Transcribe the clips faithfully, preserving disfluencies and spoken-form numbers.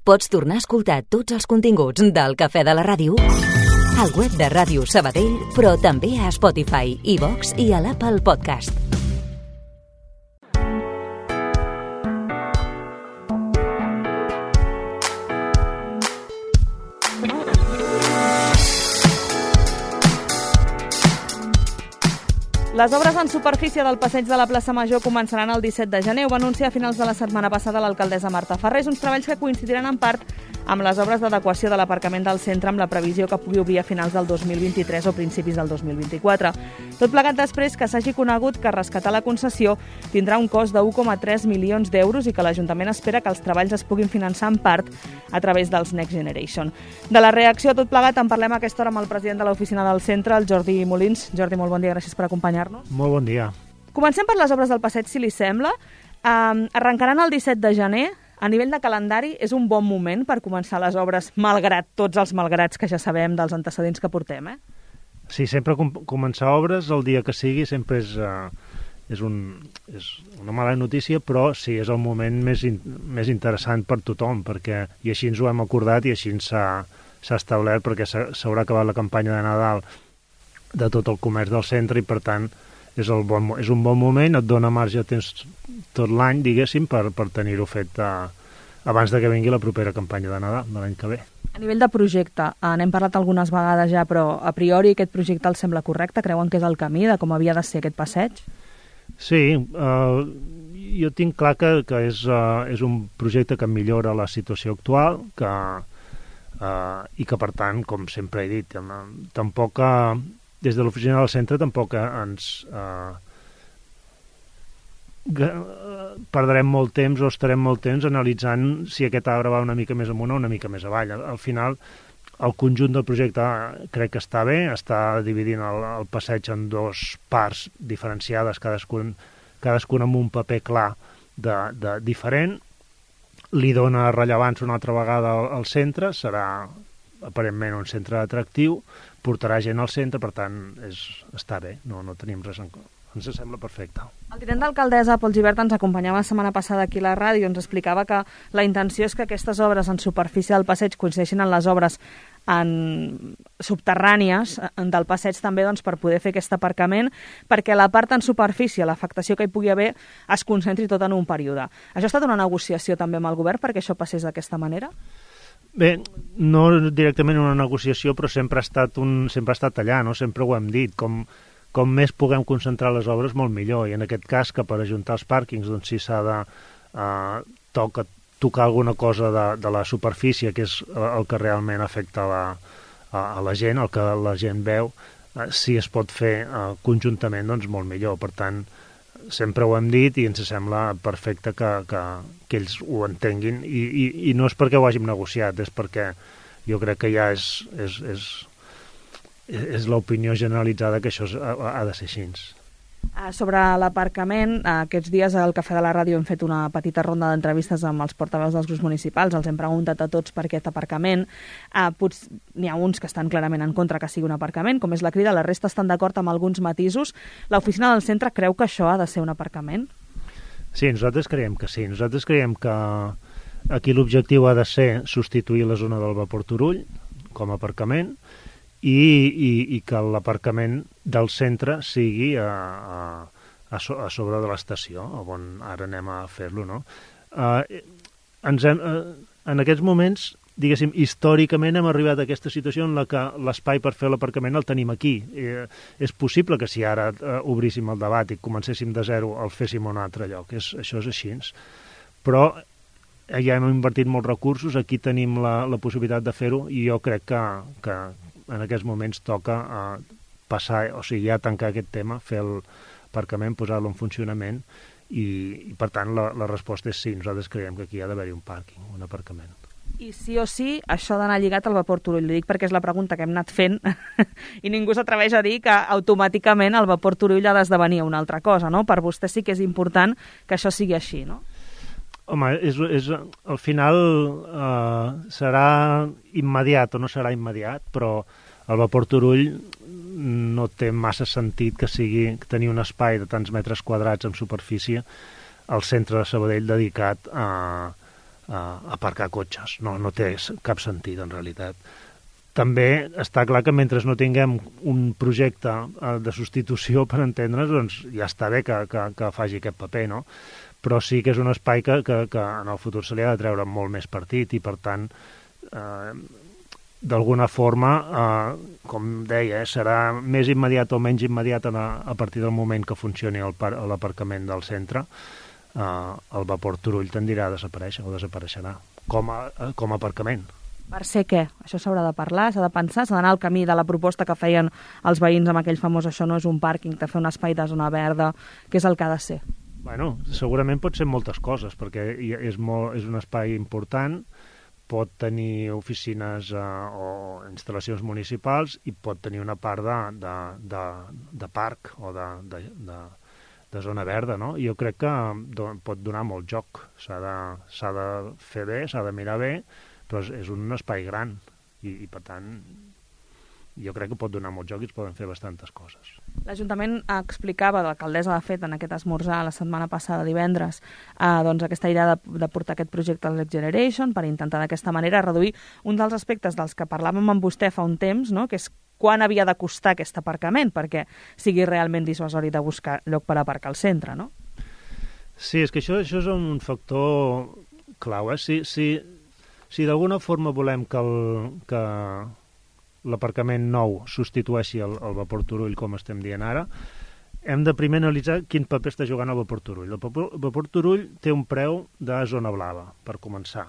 Pots tornar a escoltar tots els continguts del Cafè de la Ràdio al web de Ràdio Sabadell, però també a Spotify, iVox i a l'Apple Podcast. Les obres en superfície del passeig de la plaça Major començaran el disset de gener. Ho va anunciar a finals de la setmana passada l'alcaldessa Marta Ferrés, uns treballs que coincidiran en part amb les obres d'adequació de l'aparcament del centre amb la previsió que pugui obrir a finals del dos mil vint-i-tres o principis del dos mil vint-i-quatre. Tot plegat després que s'hagi conegut que rescatar la concessió tindrà un cost de u coma tres milions d'euros i que l'Ajuntament espera que els treballs es puguin finançar en part a través dels Next Generation. De la reacció a tot plegat en parlem a aquesta hora amb el president de l'oficina del centre, el Jordi Molins. Jordi, molt bon dia, gràcies per acompanyar-nos. Molt bon dia. Comencem per les obres del passeig, si li sembla. Um, arrencaran el disset de gener. A nivell de calendari, és un bon moment per començar les obres, malgrat tots els malgrats que ja sabem dels antecedents que portem, eh? Sí, sempre com començar obres el dia que sigui sempre és, uh, és, un, és una mala notícia, però sí, és el moment més, in, més interessant per tothom, perquè, i així ens ho hem acordat i així s'ha establert, perquè s'haurà acabat la campanya de Nadal de tot el comerç del centre i, per tant, és, el bon, és un bon moment, et dona marge de temps tot l'any, diguéssim, per, per tenir-ho fet uh, abans de que vingui la propera campanya de Nadal de l'any que ve. A nivell de projecte, eh, n'hem parlat algunes vegades ja, però a priori aquest projecte els sembla correcte? Creuen que és el camí de com havia de ser aquest passeig? Sí, uh, jo tinc clar que, que és, uh, és un projecte que millora la situació actual, que, uh, i que, per tant, com sempre he dit, uh, tampoc... Uh, des de l'oficina del centre tampoc ens eh, perdrem molt temps o estarem molt temps analitzant si aquest arbre va una mica més amunt o una mica més avall. Al final, el conjunt del projecte crec que està bé, està dividint el, el passeig en dos parts diferenciades, cadascun, cadascun amb un paper clar de, de diferent. Li dona rellevància una altra vegada al, al centre, serà aparentment un centre atractiu, portarà gent al centre, per tant, és, està bé, no, no tenim res en compte. Ens sembla perfecte. El tinent d'alcaldessa, Pol Gibert, ens acompanyava la setmana passada aquí a la ràdio, ens explicava que la intenció és que aquestes obres en superfície del passeig coincideixin en les obres en subterrànies del passeig també, doncs, per poder fer aquest aparcament, perquè la part en superfície, l'afectació que hi pugui haver, es concentri tot en un període. Això ha estat una negociació també amb el govern perquè això passés d'aquesta manera? Bé, no directament una negociació, però sempre ha estat, un, sempre ha estat allà, no? Sempre ho hem dit, com, com més puguem concentrar les obres, molt millor, i en aquest cas que per ajuntar els pàrquings, doncs si s'ha de eh, toca, tocar alguna cosa de, de la superfície, que és el que realment afecta la, a, a la gent, el que la gent veu, eh, si es pot fer eh, conjuntament, doncs molt millor. Per tant, sempre ho hem dit i ens sembla perfecte que, que, que ells ho entenguin i, i, i no és perquè ho hàgim negociat, és perquè jo crec que ja és, és, és, és l'opinió generalitzada que això ha, ha de ser així. Sobre l'aparcament, aquests dies al Cafè de la Ràdio hem fet una petita ronda d'entrevistes amb els portaveus dels grups municipals, els hem preguntat a tots per aquest aparcament. N'hi ha uns que estan clarament en contra que sigui un aparcament, com és la Crida, la resta estan d'acord amb alguns matisos. L'oficina del centre creu que això ha de ser un aparcament? Sí, nosaltres creiem que sí. Nosaltres creiem que aquí l'objectiu ha de ser substituir la zona del Vapor Turull com a aparcament, I, i, i que l'aparcament del centre sigui a, a, a, so, a sobre de l'estació, on ara anem a fer-lo, no? Uh, ens hem, uh, en aquests moments, diguéssim, històricament hem arribat a aquesta situació en la que l'espai per fer l'aparcament el tenim aquí. Uh, és possible que si ara uh, obríssim el debat i comencéssim de zero el féssim a un altre lloc, és, això és així. Però ja hem invertit molts recursos, aquí tenim la, la possibilitat de fer-ho i jo crec que, que en aquests moments toca uh, passar, o sigui, ja tancar aquest tema, fer l'aparcament, posar-lo en funcionament i, i per tant, la, la resposta és sí, nosaltres creiem que aquí ha d'haver-hi un pàrquing, un aparcament. I sí o sí, això d'anar lligat al Vapor Turull, li dic perquè és la pregunta que hem anat fent i ningú s'atreveix a dir que automàticament el Vapor Turull ha d'esdevenir una altra cosa, no? Per vostè sí que és important que això sigui així, no? Home, és, és, al final eh, serà immediat o no serà immediat, però el Vapor Turull no té massa sentit que sigui tenir un espai de tants metres quadrats en superfície al centre de Sabadell dedicat a, uh, aparcar cotxes. No, no té cap sentit, en realitat. També està clar que mentre no tinguem un projecte de substitució, per entendre's, doncs ja està bé que, que, que faci aquest paper, no? Però sí que és un espai que, que, que en el futur se li ha de treure molt més partit i, per tant, eh, d'alguna forma, eh, com deia, eh, serà més immediat o menys immediat a, a partir del moment que funcioni l'aparcament del centre, eh, el vapor Turull tendirà a desaparèixer o desapareixerà com a, com a aparcament. Per ser què? Això s'haurà de parlar, s'ha de pensar, s'ha d'anar al camí de la proposta que feien els veïns amb aquell famós això no és un pàrquing, de fer un espai de zona verda, que és el que ha de ser. Bueno, segurament pot ser moltes coses, perquè és, molt, és un espai important, pot tenir oficines eh, o instal·lacions municipals i pot tenir una part de, de, de, de parc o de, de, de, de zona verda, no? Jo crec que do, pot donar molt joc, s'ha de, s'ha de fer bé, s'ha de mirar bé, però és, és un espai gran i, i, per tant, jo crec que pot donar molt joc i es poden fer bastantes coses. L'Ajuntament explicava, l'alcaldessa de fet, en aquest esmorzar la setmana passada, divendres, eh, doncs aquesta idea de, de portar aquest projecte al Next Generation per intentar d'aquesta manera reduir un dels aspectes dels que parlàvem amb vostè fa un temps, no?, que és quan havia de costar aquest aparcament perquè sigui realment dissuasori de buscar lloc per aparcar al centre, no? Sí, és que això, això és un factor clau, eh? Si... si Si d'alguna forma volem que l'aparcament nou substitueixi el, el vapor Turull, com estem dient ara, hem de primer analitzar quin paper està jugant el vapor Turull. El vapor, el vapor Turull té un preu de zona blava, per començar.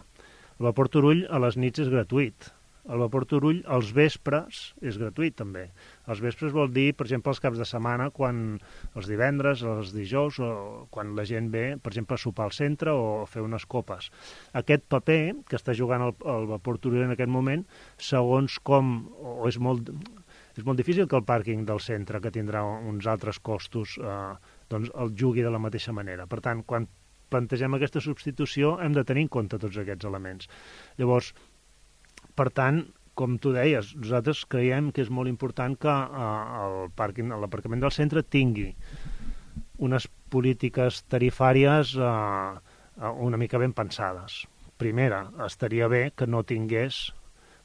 El vapor Turull a les nits és gratuït. El vapor Turull als vespres és gratuït, també. Els vespres vol dir, per exemple, els caps de setmana, quan els divendres, els dijous, o quan la gent ve, per exemple, a sopar al centre o a fer unes copes. Aquest paper que està jugant el, el vapor Turull en aquest moment, segons com, o és molt, és molt difícil que el pàrquing del centre, que tindrà uns altres costos, eh, doncs el jugui de la mateixa manera. Per tant, quan plantegem aquesta substitució, hem de tenir en compte tots aquests elements. Llavors, per tant, com tu deies, nosaltres creiem que és molt important que eh, el pàrquing, l'aparcament del centre tingui unes polítiques tarifàries eh, una mica ben pensades. Primera, estaria bé que no tingués,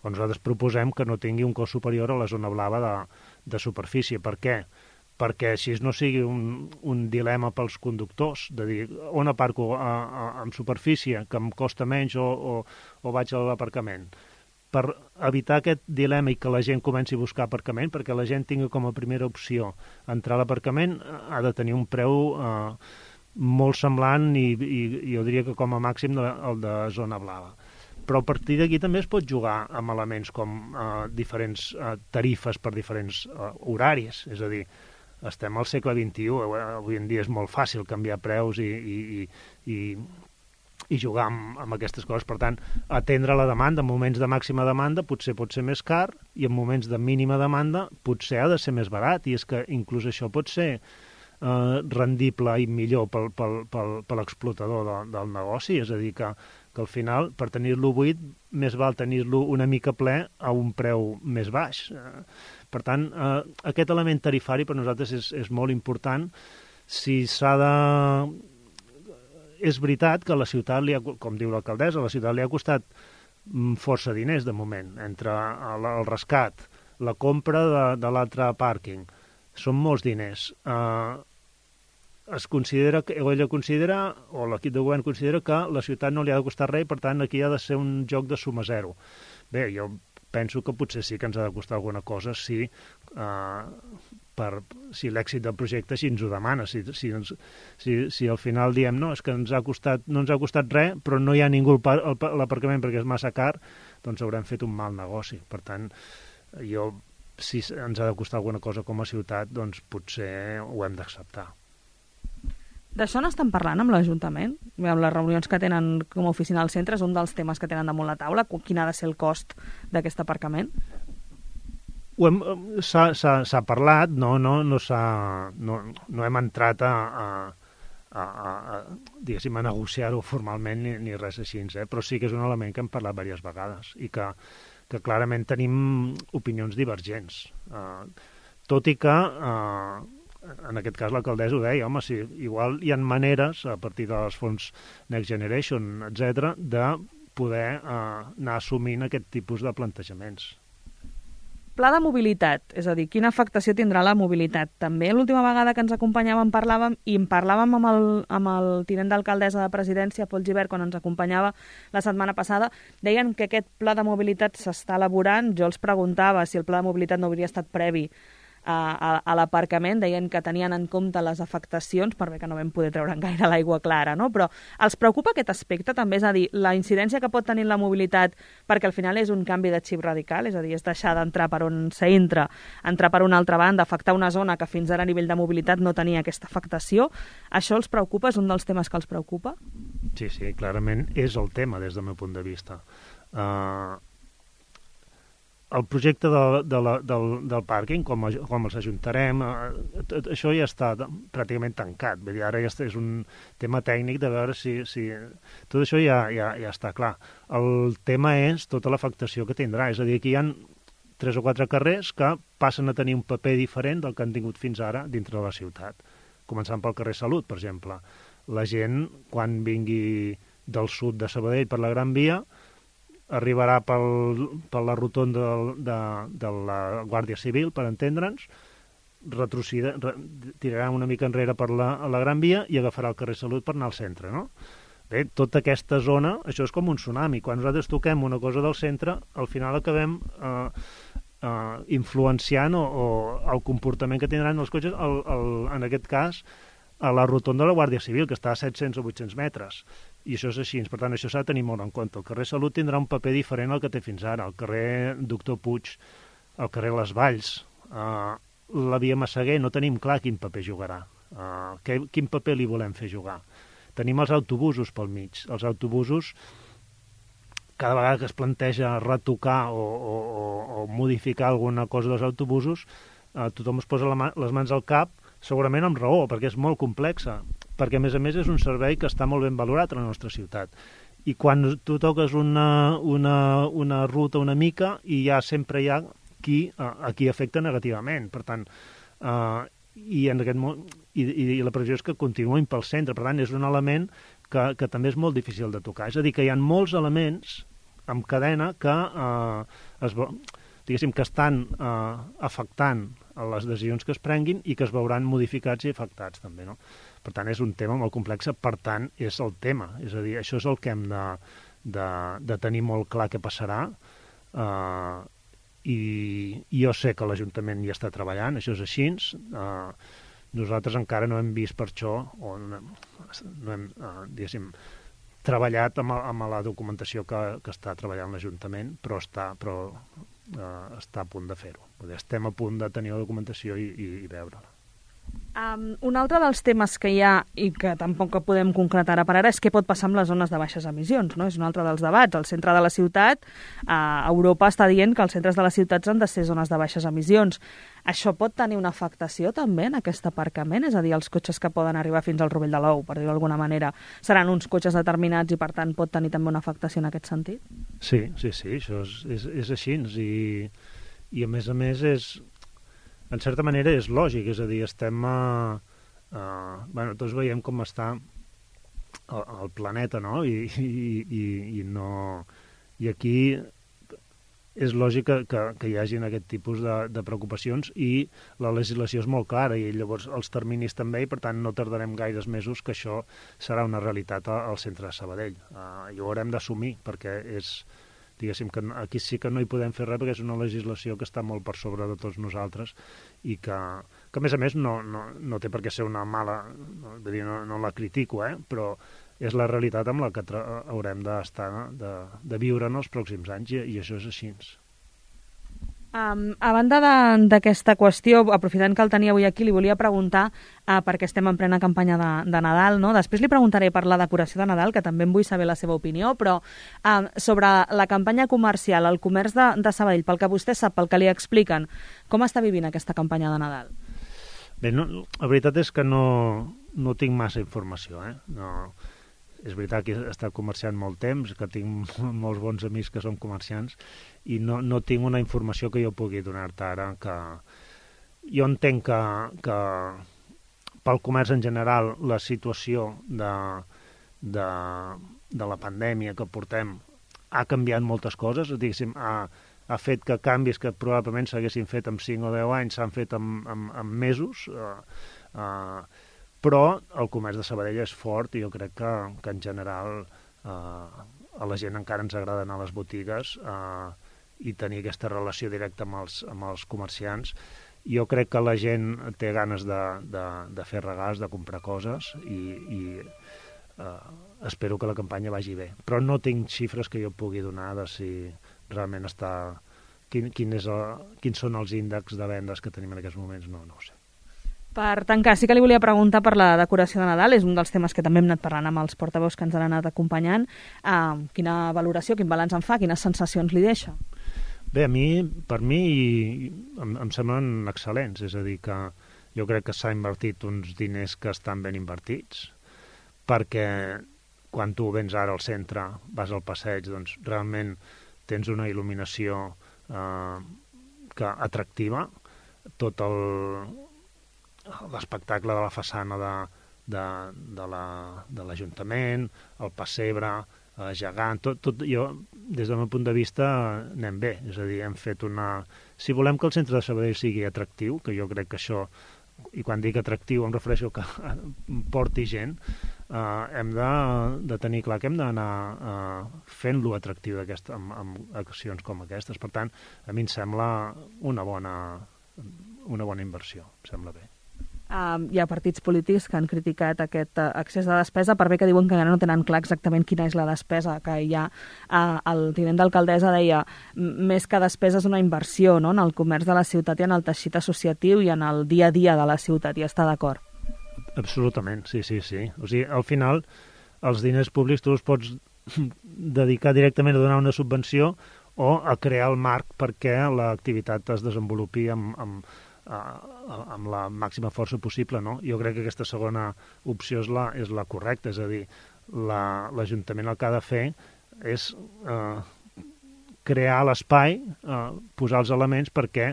o nosaltres proposem que no tingui un cost superior a la zona blava de, de superfície. Per què? Perquè així no sigui un, un dilema pels conductors, de dir, on aparco a, a, en superfície, que em costa menys, o, o, o vaig a l'aparcament. Per evitar aquest dilema i que la gent comenci a buscar aparcament, perquè la gent tingui com a primera opció entrar a l'aparcament, ha de tenir un preu eh, molt semblant i, i, i jo diria que com a màxim de, el de zona blava. Però a partir d'aquí també es pot jugar amb elements com eh, diferents eh, tarifes per diferents eh, horaris, és a dir, estem al segle vint-i-u, avui en dia és molt fàcil canviar preus i, i, i, i i jugar amb, amb aquestes coses. Per tant, atendre la demanda. En moments de màxima demanda potser pot ser més car i en moments de mínima demanda potser ha de ser més barat, i és que inclús això pot ser eh, rendible i millor pel, pel, pel, per l'explotador de, del negoci. És a dir, que, que al final, per tenir-lo buit, més val tenir-lo una mica ple a un preu més baix. Eh, per tant, eh, aquest element tarifari per nosaltres és, és molt important. Si s'ha de... És veritat que a la ciutat, li ha, com diu l'alcaldessa, a la ciutat li ha costat força diners de moment, entre el, el rescat, la compra de, de l'altre pàrquing. Són molts diners. Eh, es considera, o ella considera, o l'equip de govern considera que la ciutat no li ha de costar res, per tant aquí ha de ser un joc de suma zero. Bé, jo penso que potser sí que ens ha de costar alguna cosa si... Eh, per, si l'èxit del projecte així ens ho demana, si, si, ens, si, si al final diem no, és que ens ha costat, no ens ha costat res, però no hi ha ningú a l'aparcament perquè és massa car, doncs haurem fet un mal negoci. Per tant, jo, si ens ha de costar alguna cosa com a ciutat, doncs potser ho hem d'acceptar. D'això n'estan parlant amb l'Ajuntament? Amb les reunions que tenen com a oficina al centre és un dels temes que tenen damunt la taula? Quin ha de ser el cost d'aquest aparcament? S'ha parlat, no, no, no, no, no hem entrat a, a, a, a, diguéssim, a negociar-ho formalment ni, ni res així, eh? Però sí que és un element que hem parlat diverses vegades i que, que clarament tenim opinions divergents. Uh, tot i que uh, en aquest cas l'alcaldessa ho deia, home, sí, igual hi ha maneres, a partir dels fons Next Generation, etcètera, de poder eh, anar assumint aquest tipus de plantejaments. Pla de mobilitat, és a dir, quina afectació tindrà la mobilitat. També l'última vegada que ens acompanyàvem parlàvem, i en parlàvem amb el, amb el tinent d'alcaldessa de Presidència, Pol Gibert, quan ens acompanyava la setmana passada, deien que aquest pla de mobilitat s'està elaborant. Jo els preguntava si el pla de mobilitat no hauria estat previ a, a, a l'aparcament, deien que tenien en compte les afectacions, per bé que no vam poder treure gaire l'aigua clara, no? Però els preocupa aquest aspecte també, és a dir, la incidència que pot tenir la mobilitat, perquè al final és un canvi de xip radical, és a dir, és deixar d'entrar per on s'entra, entrar per una altra banda, afectar una zona que fins ara a nivell de mobilitat no tenia aquesta afectació. Això els preocupa? És un dels temes que els preocupa? Sí, sí, clarament és el tema des del meu punt de vista. Uh, el projecte de, de la, del, del pàrquing, com, a, com els ajuntarem, eh, això ja està pràcticament tancat. Vull dir, ara ja és un tema tècnic de veure si... si... Tot això ja, ja, ja està clar. El tema és tota l'afectació que tindrà. És a dir, que hi ha tres o quatre carrers que passen a tenir un paper diferent del que han tingut fins ara dintre de la ciutat. Començant pel carrer Salut, per exemple. La gent, quan vingui del sud de Sabadell per la Gran Via, arribarà pel, per la rotonda de, de, de la Guàrdia Civil, per entendre'ns, retrocida, re, tirarà una mica enrere per la, la Gran Via i agafarà el carrer Salut per anar al centre, no? Bé, tota aquesta zona, això és com un tsunami. Quan nosaltres toquem una cosa del centre, al final acabem eh, eh, influenciant o, o el comportament que tindran els cotxes, el, el, en aquest cas, a la rotonda de la Guàrdia Civil, que està a set-cents o vuit-cents metres. I això és així. Per tant, això s'ha de tenir molt en compte. El carrer Salut tindrà un paper diferent al que té fins ara. El carrer Doctor Puig, el carrer Les Valls, uh, la via Massaguer, no tenim clar quin paper jugarà. Uh, que, quin paper li volem fer jugar. Tenim els autobusos pel mig. Els autobusos, cada vegada que es planteja retocar o, o, o, o modificar alguna cosa dels autobusos, uh, tothom es posa la mà, les mans al cap, segurament amb raó, perquè és molt complexa, perquè a més a més és un servei que està molt ben valorat a la nostra ciutat. I quan tu toques una, una, una ruta una mica, i ja sempre hi ha qui, a qui afecta negativament. Per tant, uh, i, en aquest, i, i la previsió és que continuïn pel centre. Per tant, és un element que, que també és molt difícil de tocar. És a dir, que hi ha molts elements en cadena que, uh, es, diguéssim, que estan uh, afectant a les decisions que es prenguin i que es veuran modificats i afectats també, no? Per tant, és un tema molt complex, per tant, és el tema. És a dir, això és el que hem de, de, de tenir molt clar què passarà, uh, i, i jo sé que l'Ajuntament hi està treballant, això és així. Uh, nosaltres encara no hem vist per això, o no, no hem, uh, diguéssim, treballat amb, amb la documentació que, que està treballant l'Ajuntament, però està... Però, Uh, està a punt de fer-ho. Estem a punt de tenir la documentació i, i, i veure-la. Um, un altre dels temes que hi ha i que tampoc podem concretar ara per ara és què pot passar amb les zones de baixes emissions, no? És un altre dels debats. Al centre de la ciutat, uh, Europa està dient que els centres de les ciutats han de ser zones de baixes emissions. Això pot tenir una afectació també en aquest aparcament? És a dir, els cotxes que poden arribar fins al Rovell de l'Ou, per dir-ho d'alguna manera, seran uns cotxes determinats i per tant pot tenir també una afectació en aquest sentit? Sí, sí, sí, això és, és, és així, i, i a més a més és, en certa manera és lògic, és a dir, estem a... a bueno, tots veiem com està el, el planeta, no? I, i, i, i no... I aquí és lògic que, que, que hi hagin aquest tipus de, de preocupacions, i la legislació és molt clara i llavors els terminis també, i per tant no tardarem gaires mesos que això serà una realitat al centre de Sabadell. Uh, i ho haurem d'assumir, perquè és, diguéssim, que aquí sí que no hi podem fer res, perquè és una legislació que està molt per sobre de tots nosaltres i que, que a més a més no, no, no té per què ser una mala, no, dir, no, no la critico, eh? Però és la realitat amb la que haurem d'estar, de, de viure en els pròxims anys, i, i això és així. Um, a banda d'aquesta qüestió, aprofitant que el tenia avui aquí, li volia preguntar, uh, perquè estem en plena campanya de, de Nadal, no? Després li preguntaré per la decoració de Nadal, que també en vull saber la seva opinió, però uh, sobre la campanya comercial, el comerç de, de Sabadell, pel que vostè sap, pel que li expliquen, com està vivint aquesta campanya de Nadal? Bé, no, la veritat és que no, no tinc massa informació, eh? No... És veritat que he estat comerciant molt temps, que tinc molts bons amics que són comerciants, i no, no tinc una informació que jo pugui donar-te ara. Que... Jo entenc que, que, pel comerç en general, la situació de, de, de la pandèmia que portem ha canviat moltes coses, diguéssim, ha, ha fet que canvis que probablement s'haguessin fet en cinc o deu anys s'han fet en, en, en mesos, eh, eh, però el comerç de Sabadell és fort i jo crec que, que en general eh, a la gent encara ens agrada anar a les botigues eh, i tenir aquesta relació directa amb els, amb els comerciants. Jo crec que la gent té ganes de, de, de fer regals, de comprar coses i, i eh, espero que la campanya vagi bé. Però no tinc xifres que jo pugui donar de si realment està... Quin, quin és el, quins són els índexs de vendes que tenim en aquests moments, no, no ho sé. Per tancar, sí que li volia preguntar per la decoració de Nadal, és un dels temes que també hem anat parlant amb els portaveus que ens han anat acompanyant. Uh, quina valoració, quin balanç en fa, quines sensacions li deixa? Bé, a mi, per mi, em, em semblen excel·lents, és a dir, que jo crec que s'ha invertit uns diners que estan ben invertits, perquè quan tu vens ara al centre, vas al passeig, doncs realment tens una il·luminació eh, que atractiva, tot el l'espectacle de la façana de, de, de l'Ajuntament, la, el pessebre, eh, gegant, tot, tot jo, des del meu punt de vista, anem bé. És a dir, hem fet una... Si volem que el centre de Sabadell sigui atractiu, que jo crec que això, i quan dic atractiu em refereixo que porti gent, eh, hem de, de tenir clar que hem d'anar eh, fent-lo atractiu amb, amb accions com aquestes. Per tant, a mi em sembla una bona, una bona inversió, em sembla bé. Uh, hi ha partits polítics que han criticat aquest uh, excés de despesa, per bé que diuen que encara no tenen clar exactament quina és la despesa que hi ha. Uh, el tinent d'alcaldessa deia més que despesa és una inversió, no?, en el comerç de la ciutat i en el teixit associatiu i en el dia a dia de la ciutat, i està d'acord. Absolutament, sí, sí, sí. O sigui, al final, els diners públics tu els pots dedicar directament a donar una subvenció o a crear el marc perquè l'activitat es desenvolupi amb... amb amb la màxima força possible, no? Jo crec que aquesta segona opció és la, és la correcta, és a dir, l'Ajuntament el que ha de fer és eh, crear l'espai, eh, posar els elements perquè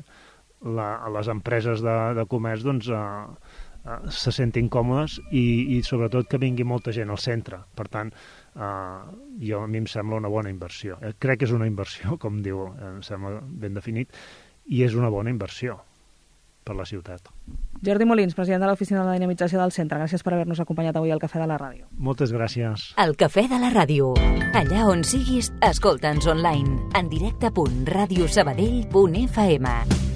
la, les empreses de, de comerç doncs, eh, eh, se sentin còmodes i, i sobretot que vingui molta gent al centre. Per tant, eh, jo, a mi em sembla una bona inversió. Eh, crec que és una inversió, com diu, eh, em sembla ben definit, i és una bona inversió per la ciutat. Jordi Molins, president de l'Oficina de la Dinamització del Centre, gràcies per haver-nos acompanyat avui al Cafè de la Ràdio. Moltes gràcies. El Cafè de la Ràdio. Allà on siguis, escolta'ns online, en directe punt radiosabadell punt f m.